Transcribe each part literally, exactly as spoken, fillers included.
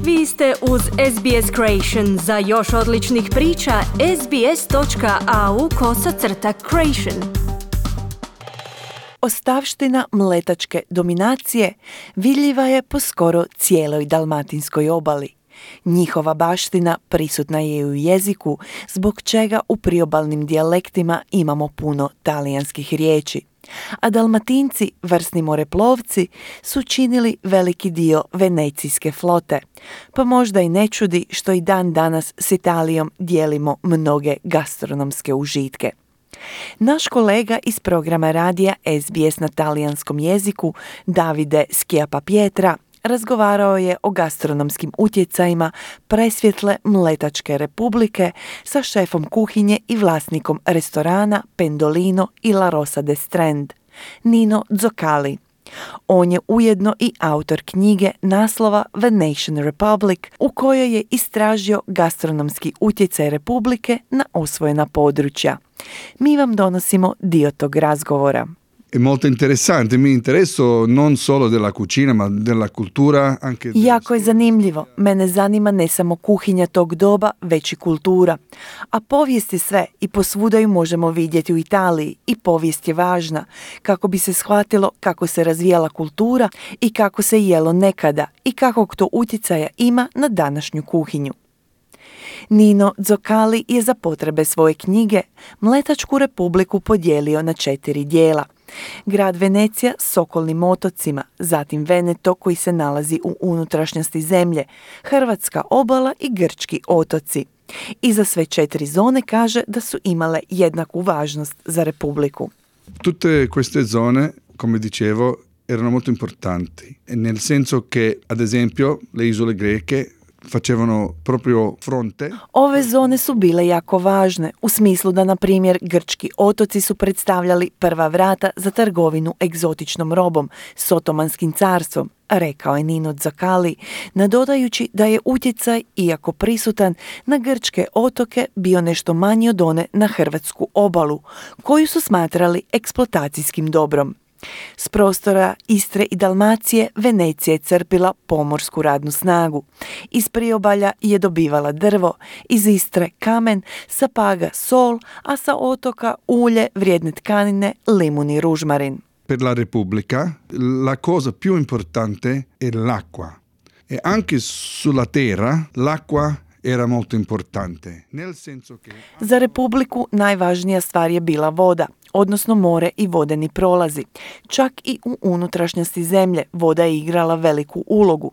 Vi ste uz S B S Creation. Za još odličnih priča, sbs.au kosacrta creation. Ostavština mletačke dominacije vidljiva je po skoro cijeloj dalmatinskoj obali. Njihova baština prisutna je i u jeziku, zbog čega u priobalnim dijalektima imamo puno talijanskih riječi. A Dalmatinci, vrsni moreplovci, su činili veliki dio venecijske flote, pa možda i ne čudi što i dan danas s Italijom dijelimo mnoge gastronomske užitke. Naš kolega iz programa radija S B S na talijanskom jeziku, Davide Schiappa-Pietra, razgovarao je o gastronomskim utjecajima presvjetle Mletačke republike sa šefom kuhinje i vlasnikom restorana Pendolino i La Rosa de Strand, Nino Zoccali. On je ujedno i autor knjige naslova Venetian Republic, u kojoj je istražio gastronomski utjecaj Republike na osvojena područja. Mi vam donosimo dio tog razgovora. È molto interessante, mi interesso non solo della cucina, ma della cultura anche. Jako je zanimljivo. Mene zanima ne samo kuhinja tog doba, već i kultura. A povijest je sve i posvuda ju možemo vidjeti u Italiji i povijest je važna kako bi se shvatilo kako se razvijala kultura i kako se jelo nekada i kakvog to utjecaja ima na današnju kuhinju. Nino Zoccali je za potrebe svoje knjige Mletačku republiku podijelio na četiri dijela. Grad Venecija s okolnim otocima, zatim Veneto koji se nalazi u unutrašnjosti zemlje, Hrvatska obala i Grčki otoci. I za sve četiri zone kaže da su imale jednaku važnost za Republiku. Tutte queste zone, come dicevo, erano molto importanti, nel senso che, ad esempio, le isole greche facevano proprio fronte. Ove zone su bile jako važne, u smislu da, na primjer, grčki otoci su predstavljali prva vrata za trgovinu egzotičnom robom s Otomanskim carstvom, rekao je Nino Zoccali, nadodajući da je utjecaj, iako prisutan, na grčke otoke bio nešto manji od one na hrvatsku obalu, koju su smatrali eksploatacijskim dobrom. S prostora Istre i Dalmacije Venecija je crpila pomorsku radnu snagu. Iz priobalja je dobivala drvo, iz Istre kamen, sa Paga sol, a sa otoka ulje, vrijedne tkanine, limun i ružmarin. Per la Repubblica la cosa più importante è l'acqua. E anche sulla terra l'acqua era molto importante. Nel senso che Za Republiku najvažnija stvar je bila voda, odnosno more i vodeni prolazi. Čak i u unutrašnjosti zemlje voda je igrala veliku ulogu.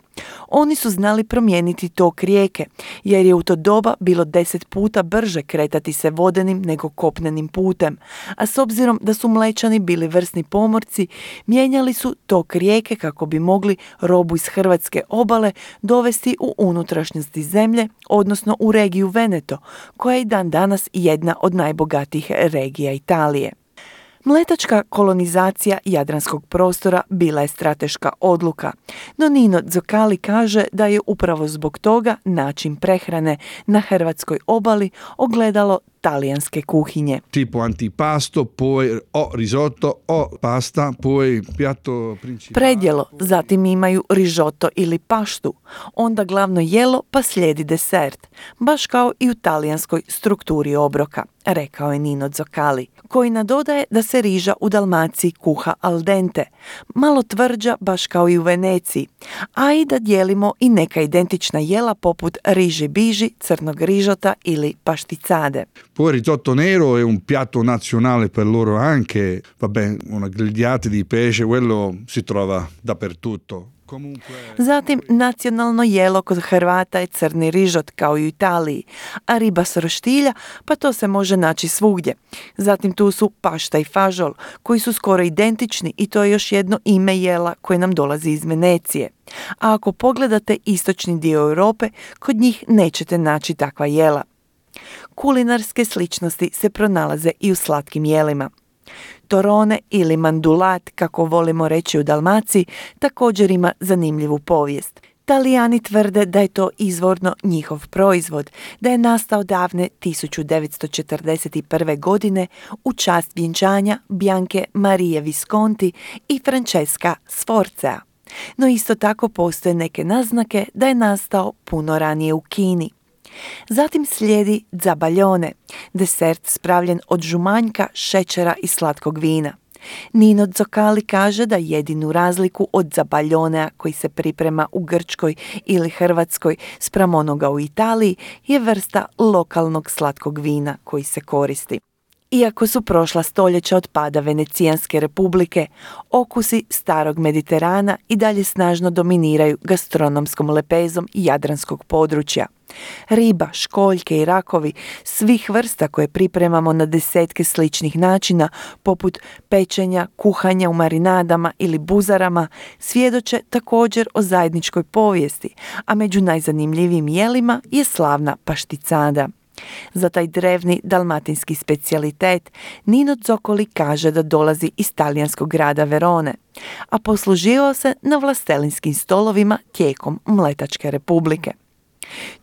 Oni su znali promijeniti tok rijeke, jer je u to doba bilo deset puta brže kretati se vodenim nego kopnenim putem. A s obzirom da su Mlečani bili vrsni pomorci, mijenjali su tok rijeke kako bi mogli robu iz hrvatske obale dovesti u unutrašnjosti zemlje, odnosno u regiju Veneto, koja je i dan danas jedna od najbogatijih regija Italije. Mletačka kolonizacija jadranskog prostora bila je strateška odluka, no Nino Zoccali kaže da je upravo zbog toga način prehrane na hrvatskoj obali ogledalo talijanske kuhinje. Tipo antipasto, poi o risotto o pasta, poi piatto principale. Predjelo, zatim imaju rižoto ili paštu, onda glavno jelo pa slijedi desert, baš kao i u talijanskoj strukturi obroka, rekao je Nino Zoccali, koji nadodaje da se riža u Dalmaciji kuha al dente, malo tvrđa baš kao i u Veneciji, a i da dijelimo i neka identična jela poput riži biži, crnog rižota ili pašticade. Poi il risotto nero è un piatto nazionale per loro anche, vabbè, una grigliata di pesce, quello si trova dappertutto. Zatim, nacionalno jelo kod Hrvata je crni rižot kao i u Italiji, a riba s roštilja, pa to se može naći svugdje. Zatim tu su pašta i fažol, koji su skoro identični i to je još jedno ime jela koje nam dolazi iz Venecije. A ako pogledate istočni dio Europe, kod njih nećete naći takva jela. Kulinarske sličnosti se pronalaze i u slatkim jelima. Torone ili mandulat, kako volimo reći u Dalmaciji, također ima zanimljivu povijest. Talijani tvrde da je to izvorno njihov proizvod, da je nastao davne tisuću devetsto četrdeset prve. godine u čast vjenčanja Bianche Marie Visconti i Francesca Sforzea. no isto tako postoje neke naznake da je nastao puno ranije u Kini. Zatim slijedi zabaljone, desert spravljen od žumanjka, šećera i slatkog vina. Nino Zoccali kaže da jedinu razliku od zabaljonea koji se priprema u Grčkoj ili Hrvatskoj spram onoga u Italiji je vrsta lokalnog slatkog vina koji se koristi. Iako su prošla stoljeća od pada Venecijanske republike, okusi starog Mediterana i dalje snažno dominiraju gastronomskom lepezom jadranskog područja. Riba, školjke i rakovi svih vrsta koje pripremamo na desetke sličnih načina, poput pečenja, kuhanja u marinadama ili buzarama, svjedoče također o zajedničkoj povijesti, a među najzanimljivijim jelima je slavna pašticada. Za taj drevni dalmatinski specijalitet Nino Zoccoli kaže da dolazi iz talijanskog grada Verone, a posluživao se na vlastelinskim stolovima tijekom Mletačke republike.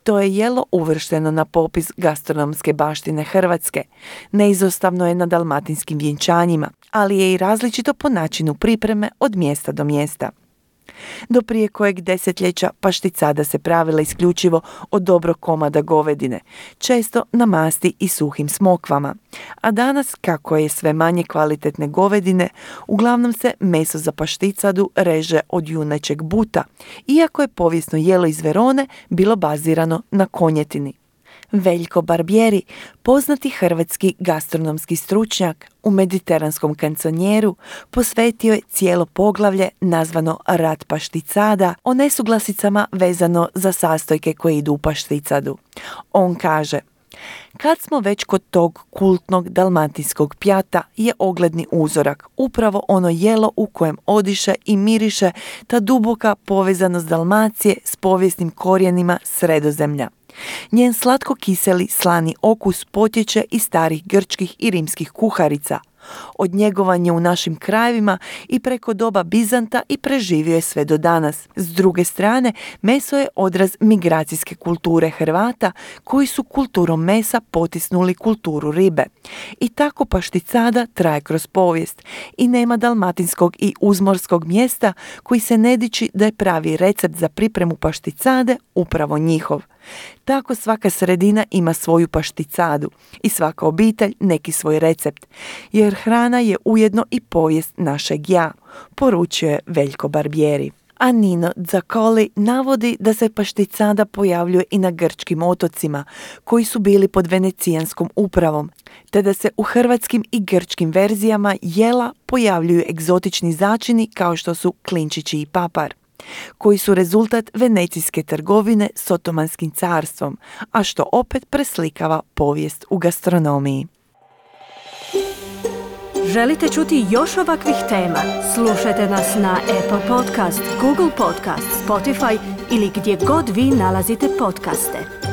To je jelo uvršteno na popis gastronomske baštine Hrvatske, neizostavno je na dalmatinskim vjenčanjima, ali je i različito po načinu pripreme od mjesta do mjesta. Do prije kojeg desetljeća pašticada se pravila isključivo od dobrog komada govedine, često na masti i suhim smokvama, a danas, kako je sve manje kvalitetne govedine, uglavnom se meso za pašticadu reže od junećeg buta, iako je povijesno jelo iz Verone bilo bazirano na konjetini. Veljko Barbieri, poznati hrvatski gastronomski stručnjak, u mediteranskom kanconjeru posvetio je cijelo poglavlje nazvano Rat pašticada o nesuglasicama vezano za sastojke koje idu u pašticadu. On kaže: kad smo već kod tog kultnog dalmatinskog pjata je ogledni uzorak upravo ono jelo u kojem odiše i miriše ta duboka povezanost Dalmacije s povijesnim korijenima Sredozemlja. Njen slatko-kiseli slani okus potječe iz starih grčkih i rimskih kuharica. Od njegovanja u našim krajevima i preko doba Bizanta i preživio je sve do danas. S druge strane, meso je odraz migracijske kulture Hrvata koji su kulturom mesa potisnuli kulturu ribe. I tako pašticada traje kroz povijest i nema dalmatinskog i uzmorskog mjesta koji se ne diči da je pravi recept za pripremu pašticade upravo njihov. Tako svaka sredina ima svoju pašticadu i svaka obitelj neki svoj recept, jer hrana je ujedno i povijest našeg ja, poručio je Veljko Barbieri. A Nino Zoccoli navodi da se pašticada pojavljuje i na grčkim otocima, koji su bili pod venecijanskom upravom, te da se u hrvatskim i grčkim verzijama jela pojavljuju egzotični začini kao što su klinčići i papar, koji su rezultat venecijske trgovine s Otomanskim carstvom, a što opet preslikava povijest u gastronomiji. Želite čuti još ovakvih tema? Slušajte nas na Apple Podcast, Google Podcast, Spotify ili gdje god vi nalazite podcaste.